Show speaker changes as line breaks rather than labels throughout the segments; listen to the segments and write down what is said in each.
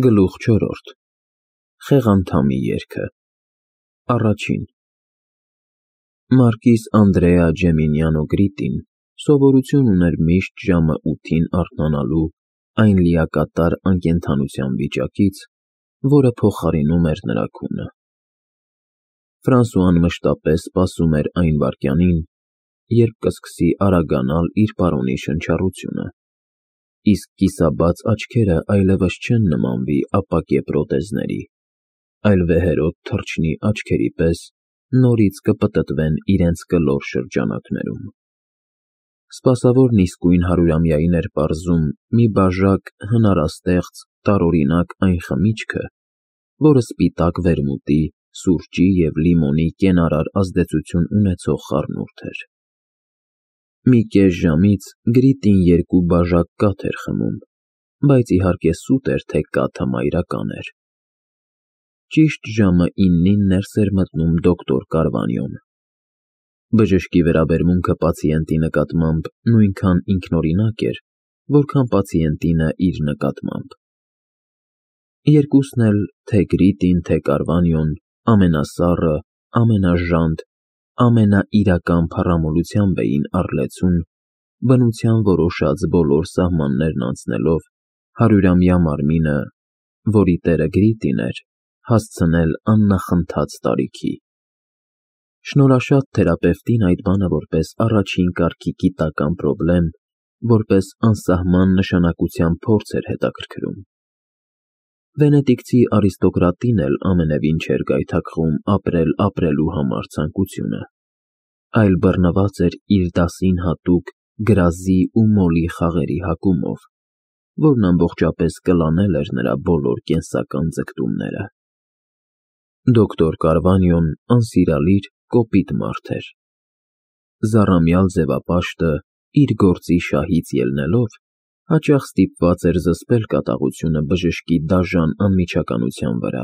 Գլուխ 4. Խեղանդամի երգը Առաջին Մարկիս Անդրեա Ջեմինյանո Գրիտին սովորություն ուներ միշտ ժամը 8-ին արթնանալու այն լիակատար անկենդանության վիճակից, որը փոխարինում էր նրա քունը։ Ֆրանսուան մշտապես սպասում էր այն վայրկյանին, երբ կսկսի արագանալ իր պարոնի շնչառությունը, իսկ կիսաբաց աչքերը այլևս չեն նմանվի ապակե պրոթեզների, այլ վեհերոտ թռչնի աչքերի պես նորից կպտտվեն իրենց կլոր շրջանակներում։ Սպասավորն իսկույն հարյուրամյային էր պարզում մի բաժակ հնարաստեղծ տարօրինակ այն խմիչքը, որը սպիտակ վերմուտի, սուրճի և լիմոնի կենարար ազդեցություն ունեցող խառնուրդ էր։ Մի կես ժամից Գրիտին 2 բաժակ կաթ էր խմում, բայց իհարկե սուտ էր, թե կաթը մայրական էր։ Ճիշտ ժամը 9-ին ներս էր մտնում դոկտոր Կարվանյոն։ Բժշկի վերաբերմունքը պացիենտի նկատմամբ նույնքան ինքնօրինակ էր, որքան պացիենտինը իր նկատմամբ։ Երկուսն էլ, թե Գրիտին, թե Կարվանյոն, ամենասառը, ամենաժանտ, ամենաիրական փառամոլությամբ էին առլեցուն, բնության որոշած բոլոր սահմաններն անցնելով, հարյուրամյա մարմինը, որի տերը Գրիտին էր, հասցնել աննախընթաց տարիքի։ Շնորհաշատ թերապևտին այդ բանը որպես առաջին կարգի գիտական պրոբլեմ, որպես անսահման նշանակության փորձ էր հետաքրքրում։ Վենետիկցի արիստոկրատին էլ ամենևին չէր գայթակղում ապրել ապրելու համար ցանկությունը, այլ բռնված էր իր դասին հատուկ գրազի ու մոլի խաղերի հակումով, որն ամբողջապես կլանել էր նրա բոլոր կենսական ձգտումները։ Դոկտոր Կարվանյոն անսիրալիր, կոպիտ մարդ էր։ Զառամյալ ձևապաշտը, իր գործի շահից ելնելով, հաճախ ստիպված էր զսպել կատաղությունը բժշկի դաժան անմիջականության վրա,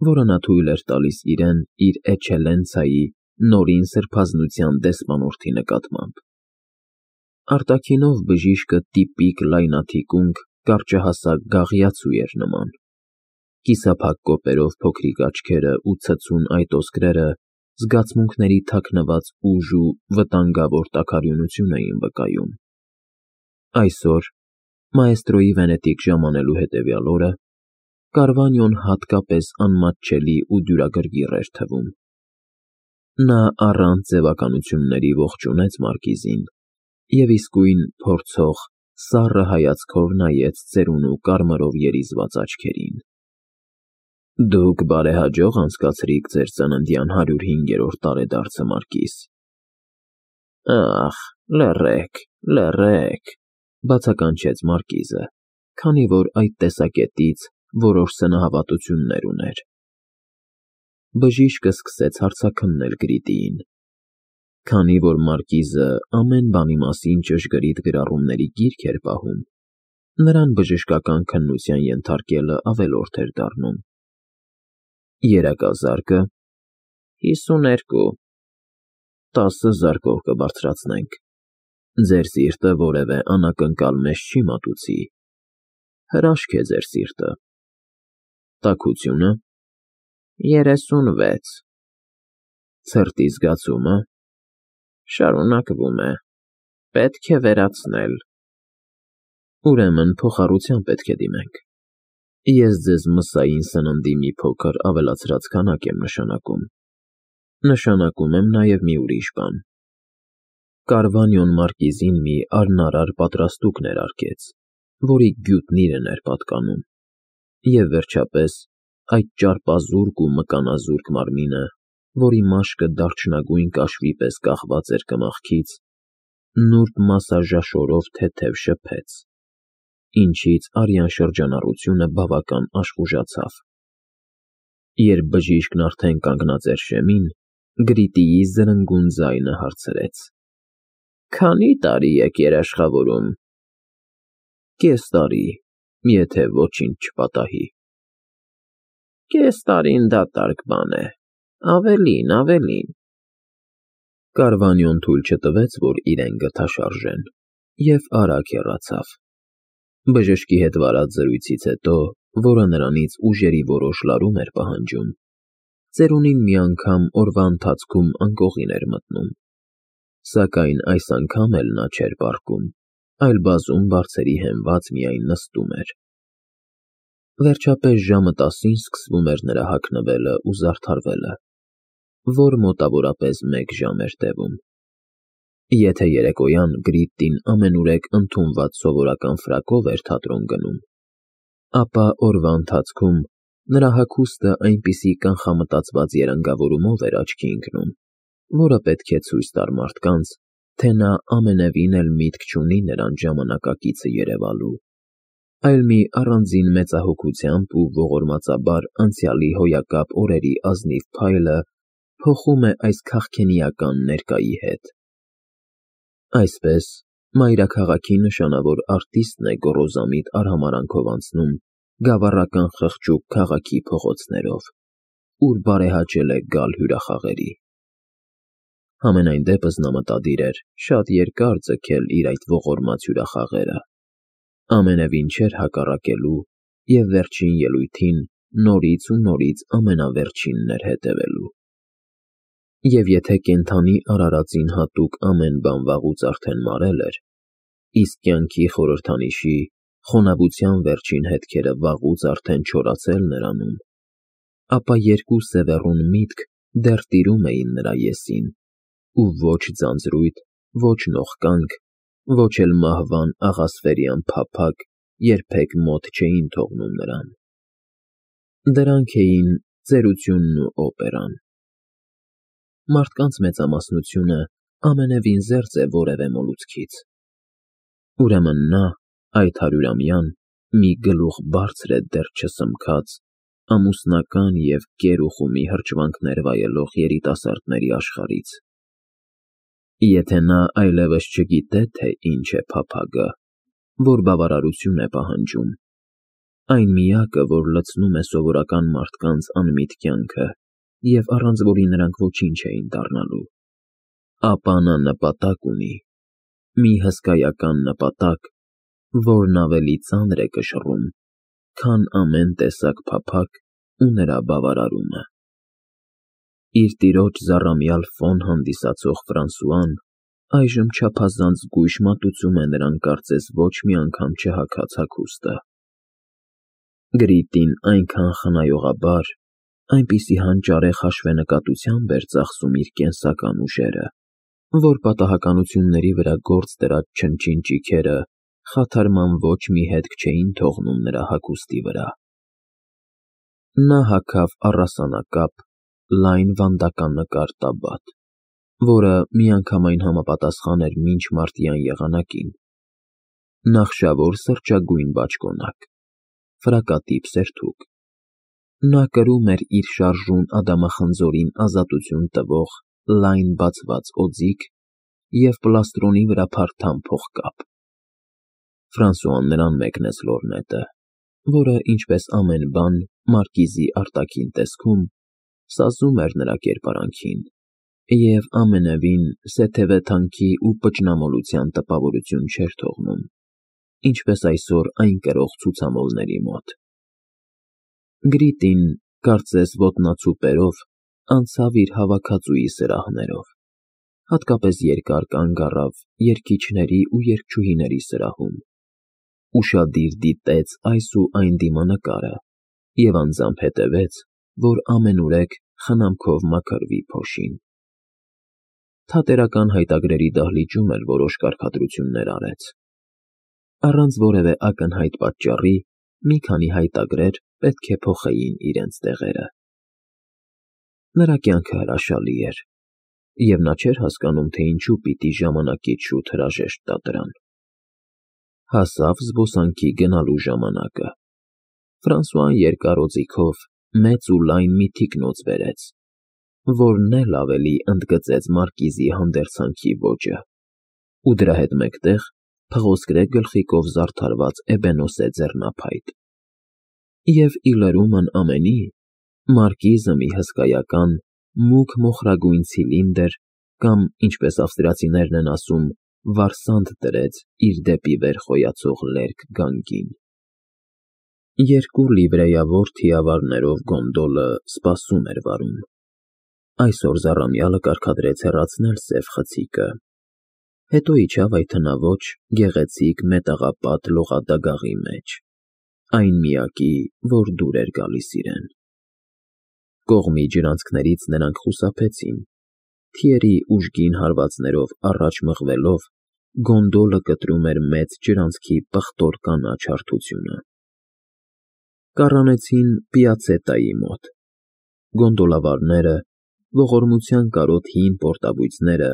որը նա թույլ էր տալիս իրեն իր էքսելենցիայի նորին սրբազնության դեսպանորդի նկատմամբ։ Արտաքինով բժիշկը տիպիկ լայնաթիկունք, կարճահասակ գաղիացու էր նման։ Կիսափակ կոպերով փոքրիկ աչքերը ու ցցուն այտոսկրերը զգացմունքների թաքնված ուժ ու վտանգավոր տաքարյունություն էին վկայում։ Այսօր, մաեստրոյի վենետիկ ժամանելու հետևյալ օրը, Կարվանյոն հատկապես անմատչելի ու դյուրագրգիռ էր թվում։ Նա առանց ձևականությունների ողջունեց մարկիզին և իսկույն փորձող, սառը հայացքով նայեց ծերունու կարմրով երիզված աչքերին։ Դուք բարեհաջող անցկացրիք ձեր ծննդյան 105-րդ տարեդարձը, Մարկիս։ Ախ, լռեք, բացականչեց մարկիզը, քանի որ այդ տեսակետից որոշ սնահավատություններ ուներ։ Բժիշկը սկսեց հարցաքննել Գրիտիին։ Քանի որ մարկիզը ամեն բանի մասին ճշգրիտ գրառումների գիրք էր պահում, նրան բժշկական քննության ենթարկելը ավելորդ էր դառնում։ Երակազարկը 52, 10 զարկով կբարձրացնենք։ Ձեր սիրտը որևէ անակնկալ մեզ չի մատուցի։ Հրաշք է ձեր սիրտը։ Տաքությունը 36, ցրտի զգացումը շարունակվում է, պետք է վերացնել։ Ուրեմն փոխառության պետք է դիմենք։ Ես ձեզ մսային սննդի մի փոքր ավելացրած քանակ եմ նշանակում։ Նշանակում եմ նաև մի ուրիշ բան։ Կարվանյոն մարկիզին մի առնարար պատրաստուկ ներարկեց, որի գյուտն իրեն էր պատկանում, և վերջապես այդ ճարպազուրկ ու մկանազուրկ մարմինը, որի մաշկը դարչնագույն կաշվի պես կախված էր կմախքից, նուրբ մասաժաշորով թեթև շփեց, ինչից արյան շրջանառությունը բավական աշխուժացավ։ Երբ բժիշկն արդեն կանգնած էր շեմին, Գրիտիի զրնգուն ձայնը հարցրեց. Քանի՞ տարի եք երաշխավորում։ Կես տարի, եթե ոչինչ չպատահի։ Կես տարին դատարկ բան է, ավելին։ Կարվանյոն թույլ չտվեց, որ իրեն գթաշարժեն, և արագ հեռացավ։ Բժշկի հետ վարած զրույցից հետո, որը նրանից ուժերի որոշ լարում էր պահանջում, ծերունին մի անգամ օրվա ընթացքում անկողին էր մտնում, սակայն այս անգամ էլ նա չէր պառկում, այլ բազում բարձերի հենված միայն նստում էր։ Վերջապես ժամը 10-ին սկսվում էր նրա հագնվելը ու զարդարվելը, որ մոտավորապես 1 ժամ էր տևում։ Եթե երեկոյան Գրիդտին ամենուրեք ընդունված սովորական ֆրակով էր թատրոն գնում, ապա օրվա ընթացքում նրա հագուստը այնպիսի կանխամտածված երանգավորումով էր աչքի ընկնում, որը պետք է ցույց տար մարդկանց, թե նա ամենևին էլ միտք չունի նրան ժամանակակիցը երևալու, այլ մի առանձին մեծահոգությամբ ու ողորմածաբար անցյալի հոյակապ օրերի ազնիվ փայլը փոխում է այս քաղքենիական ներկայի հետ։ Այսպես, մայրաքաղաքի նշանավոր արտիստն է գոռոզամիտ արհամարանքով անցնում գավառական խղճուկ քաղաքի փողոցներով, ուր բարեհաճել է գալ հյուրախաղերի։ Համենայն դեպս նա մտադիր էր շատ երկար ձգել իր այդ ողորմած հյուրախաղերը, ամենևին չէր հակառակելու և վերջին ելույթին նորից ու նորից ամենավերջինն էր հետևելու։ Եվ եթե կենդանի արարածին հատուկ ամեն բան վաղուց արդեն մարել էր, իսկ կյանքի խորհրդանիշի, խոնավության վերջին հետքերը վաղուց արդեն չորացել նրանում, ապա երկու սևեռուն միտք դեռ տիրում էին նրա եսին, ու ոչ ձանձրույթ, ոչ նողկանք, ոչ էլ մահվան աղասֆերյան փափագ երբեք մոտ չէին թողնում նրան։ Դրանք էին ծերությունն ու օպերան։ Մարդկանց մեծամասնությունը ամենևին զերծ է որևէ մոլուցքից։ Ուրեմն նա, այդ 100-ամյան, մի գլուխ բարձր է դեռ չսմքած, ամուսնական և կեր ու խումի հրճվանքներ վայելող երիտասարդների աշխարհից։ Եթե նա այլևս չգիտե, թե ինչ է փափագը, որ բավարարություն է պահանջում, այն միակը, որ լցնում է սովորական մարդկանց անմիտ կյանքը և առանց որի նրանք ոչինչ էին դառնալու, ապա նա նպատակ ունի, մի հսկայական նպատակ, որն ավելի ծանր է կշռում, քան ամեն տեսակ փափագ ու նրա բավարարումը։ Իր տիրոջ զառամյալ ֆոն հանդիսացող Ֆրանսուան այժմ չափազանց զգույշ մատուցում է նրան կարծես ոչ մի անգամ չհագած հագուստը։ Գրիդտին այնքան խնայողաբար, այնպիսի հանճարեղ հաշվենկատությամբ էր ծախսում իր կենսական ուժերը, որ պատահականությունների վրա գործ դրած չնչին ճիգերը խաթարման ոչ մի հետք չէին թողնում նրա հագուստի վրա։ Նա հագավ առասանակապ, լայն վանդականկար տաբատ, որը միանգամայն համապատասխան էր մինչ մարտյան եղանակին, նախշավոր սրճագույն բաճկոնակ, ֆրակատիպ սերթուկ։ Նա կրում էր իր շարժուն ադամախնձորին ազատություն տվող լայն բացված օձիք և պլաստրոնի վրա փարթամ փողկապ։ Ֆրանսուան նրան մեկնեց լորնետը, որը, ինչպես ամեն բան մարկիզի արտաքին տեսքում, սազում էր նրա կերպարանքին և ամենևին սեթևեթանքի ու պճնամոլության տպավորություն չէր թողնում, ինչպես այսօր այն կրող ցուցամոլների մոտ։ Գրիդին, կարծես ոտնացուպերով, անցավ իր հավաքածուի սրահներով, հատկապես երկար կանգ առավ երգիչների ու երգչուհիների սրահում, ուշադիր դիտեց այս ու այն դիմանկարը և անձամբ հետևեց, որ ամենուրեք խնամքով մաքրվի փոշին։ Թատերական հայտագրերի դահլիճում էլ որոշ կարգադրություններ արեց։ Առանց որևէ ակնհայտ պատճառի մի քանի հայտագրեր պետք է փոխեին իրենց տեղերը։ Նրա կյանքը հրաշալի էր, և նա չէր հասկանում, թե ինչու պիտի ժամանակից շուտ հրաժեշտ տա դրան։ Հասավ զբոսանքի գնալու ժամանակը։ Ֆրանսուան երկար օձիքով մեծ ու լայն մի թիկնոց բերեց, որն էլ ավելի ընդգծեց մարկիզի հանդերձանքի ոճը, ու դրա հետ մեկտեղ փղոսկրե գլխիկով զարդարված էբենոսե ձեռնափայտ։ Եվ ի լրումն ամենի, մարկիզը մի հսկայական, մուգ մոխրագույն ցիլինդր կամ, ինչպես ավստրիացիներն են ասում, վարսանդ դրեց իր դեպի վեր խոյացող լերկ գանգին։ Երկու լիվրեյավոր թիավարներով գոնդոլը սպասում էր վարում։ Այսօր Զառամյալը կարգադրեց հեռացնել սև խցիկը, հետո իջավ այդ հնաոճ, գեղեցիկ մետաղապատ լողադագաղի մեջ, այն միակի, որ դուր էր գալիս իրեն։ Կողմի ջրանցքներից նրանք խուսափեցին, թիերի ուժգին հարվածներով առաջ մղվելով, գոնդոլը կտրում էր մեծ ջրանցքի պղտոր կանաչ հարթությունը։ Կառանեցին Պիացետայի մոտ։ Գոնդոլավարները, ողորմության կարոտ հին պորտաբույծները,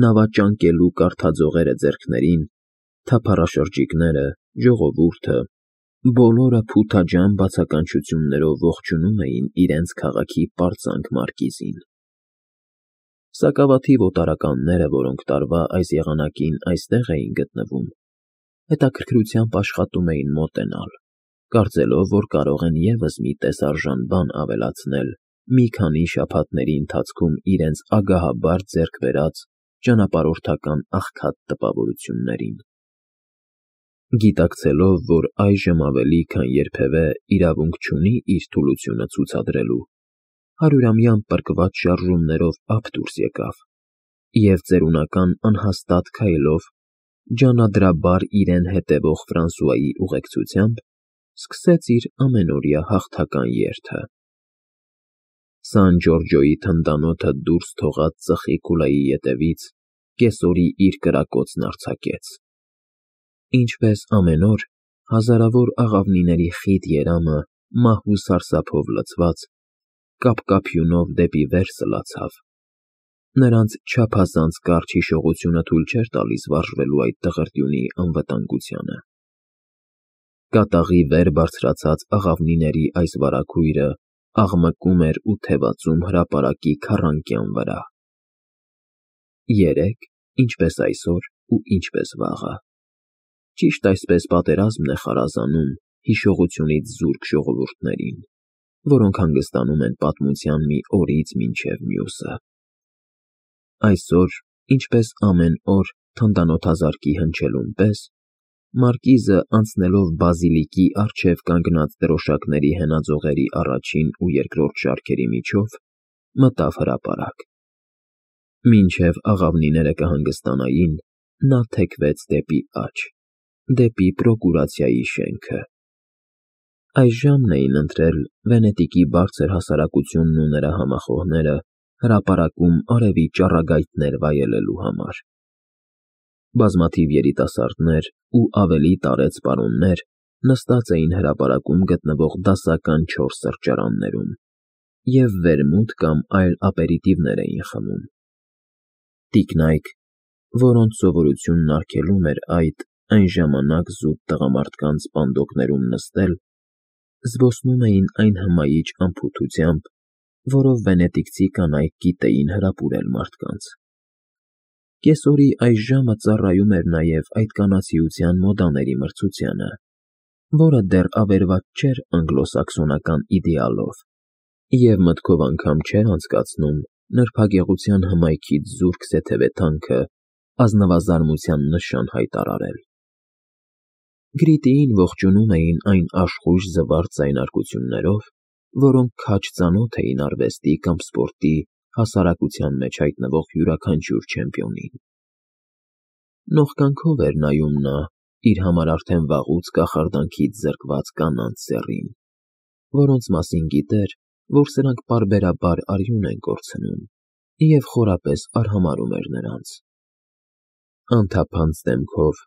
նավաճանկելու կարթաձողերը ձեռքներին, թափառաշրջիկները, ժողովուրդը, բոլորը փութաջան բացականչություններով ողջունում էին իրենց քաղաքի պարծանք մարկիզին։ Սակավաթիվ օտարականները, որոնք տարվա այս եղանակին այստեղ էին գտնվում, հետաքրքրությամբ աշխատում էին մոտենալ, կարծելով, որ կարող են ևս մի տեսարժան բան ավելացնել մի քանի շաբաթների ընթացքում իրենց ագահաբար ձեռք բերած ճանապարհորդական աղքատ տպավորություններին։ Գիտակցելով, որ այժմ ավելի քան երբևէ իրավունք չունի իր թուլությունը ցուցադրելու, հարյուրամյա պրկված շարժումներով ափ դուրս եկավ և ծերունական անհաստատ քայլով, ջանադրաբար իրեն հետևող Ֆրանսուայի ուղեկցությամբ, սկսեց իր ամենօրյա հաղթական երթը։ Սան Ջորջոյի թնդանոթը դուրս թողած ծխի քուլայի ետևից կեսօրի իր կրակոցն արձակեց։ Ինչպես ամեն օր, հազարավոր աղավնիների խիտ երամը մահու սարսափով լցված, կապկապյունով դեպի վեր սլացավ։ Նրանց չափազանց կարճ հիշողությունը թույլ չէր տալիս վարժվելու այդ տղրտյունի անվտանգությանը։ Կատաղի վեր բարձրացած աղավնիների այս վարագույրը աղմկում էր ու թևածում հրապարակի քառանկյան վրա։ Երեկ, ինչպես այսօր ու ինչպես վաղը, ճիշտ այսպես պատերազմն է խարազանում հիշողությունից զուրկ ժողովուրդներին, որոնք հանգստանում են պատմության մի օրից մինչև մյուսը։ Այսօր, ինչպես ամեն օր թնդանոթազարկի հնչելուն պես, մարկիզը, անցնելով բազիլիկի առջև կանգնած դրոշակների հենաձողերի առաջին ու երկրորդ շարքերի միջով, մտավ հրապարակ։ Մինչև աղավնիները կհանգստանային, նա թեքվեց դեպի աջ, դեպի պրոկուրացիայի շենքը։ Այս ժամն էին ընտրել Վենետիկի բարձր հասարակությունն ու նրա համախոհները հրապարակում արևի ճառագայթներ վայելելու համար։ Բազմաթիվ երիտասարդներ ու ավելի տարեց պարոններ նստած էին հրապարակում գտնվող դասական 4 սրճարաններում և վերմուտ կամ այլ ապերիտիվներ էին խմում։ Տիկնայք, որոնց սովորությունն արգելում էր այն ժամանակ զուտ տղամարդկանց պանդոկներում նստել, զբոսնում էին այն հմայիչ անփութությամբ, որով վենետիկցի կանայք գիտեին հրապուրել մարդկանց։ Կեսօրի այս ժամը ծառայում էր նաև այդ կանացիության մոդաների մրցությանը, որը դեռ ավերված չէր անգլոսաքսոնական իդեալով, և մտքով անգամ չէր անցկացնում նրբագեղության հմայքից զուրկ սեթևեթանքը ազնվազարմության նշան հայտարարել։ Գրիտիին ողջունում էին այն աշխույժ զվարթ ձայնարկություններով, որոնք քաջ ծանոթ էին արվեստի կամ սպորտի հասարակության մեջ հայտնվող յուրաքանչյուր չեմպիոնին։ Նողկանքով էր նայում նա իր համար արդեն վաղուց կախարդանքից զրկված կանանց սեռին, որոնց մասին գիտեր, որ սրանք պարբերաբար արյուն են կորցնում, և խորապես արհամարհում էր նրանց։ Անթափանց դեմքով,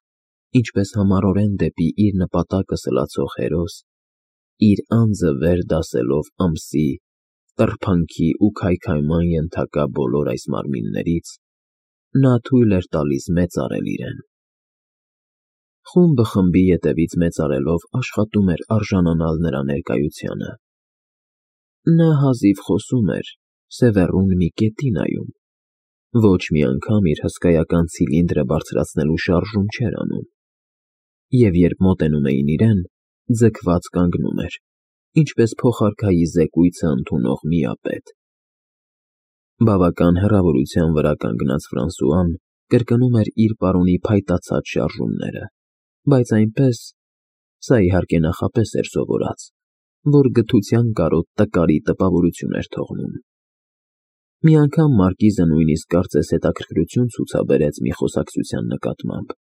ինչպես համառորեն դեպի իր նպատակը սլացող հերոս, իր անձը վեր դասելով ամսի, տրփանքի ու քայքայման ենթակա բոլոր այս մարմիններից, նա թույլ էր տալիս մեծարել իրեն։ Խումբը խմբի ետևից մեծարելով աշխատում էր արժանանալ նրա ներկայությանը։ Նա հազիվ խոսում էր, սևեռուն մի կետի նայում, ոչ մի անգամ իր հսկայական ցիլինդրը բարձրացնելու շարժում չէր անում, և երբ մոտենում էին իրեն, ձգված կանգնում էր, ինչպես փոխարքայի զեկույցը ընդունող միապետ։ Բավական հեռավորության վրա կանգնած Ֆրանսուան կրկնում էր իր պարոնի փայտացած շարժումները, բայց այնպես, սա իհարկե նախապես էր սովորած, որ գթության կարոտ տկարի տպավորություն էր թողնում։ Մի անգամ մարկիզը նույնիսկ կարծես հետաքրքրություն ցուցաբերեց մի խոսակցության նկատմամբ,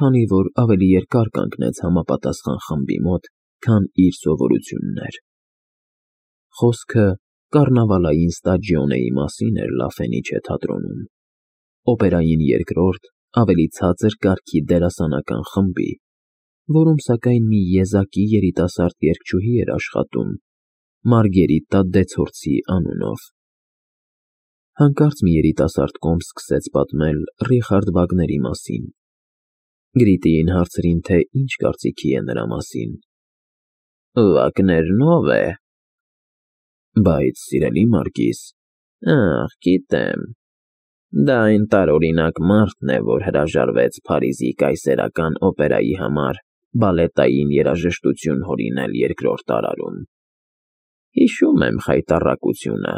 քանի որ ավելի երկար կանգնեց համապատասխան խմբի մոտ, քան իր սովորությունն էր։ Խոսքը կառնավալային ստաջիոնեի մասին էր Լա Ֆենիչե թատրոնում, օպերային երկրորդ, ավելի ցածր կարգի դերասանական խմբի, որում սակայն մի եզակի երիտասարդ երգչուհի էր աշխատում Մարգերիտա Դեցորցի անունով։ Հանկարծ մի երիտասարդ կոմ սկսեց պատմել Ռիխարդ Վագների մասին։ Գրիտիին հարցրին, թե ինչ կարծիքի է նրա մասին։ Վագներն ով է։ Բայց, սիրելի Մարգիս, ախ, գիտեմ, դա այն տարօրինակ մարդն է, որ հրաժարվեց Փարիզի կայսերական օպերայի համար բալետային երաժշտություն հորինել երկրորդ տարարում։ Հիշում եմ խայտառակությունը։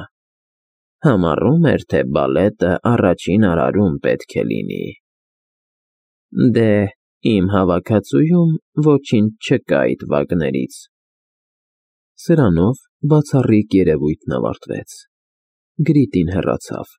Համառում էր, թե բալետը առաջին արարում պետք է լինի։ Դե, իմ հավաքածուում ոչինչ չկա այդ Վագներից։ Սրանով բացառիկ երևույթն ավարտվեց։ Գրիտին հեռացավ։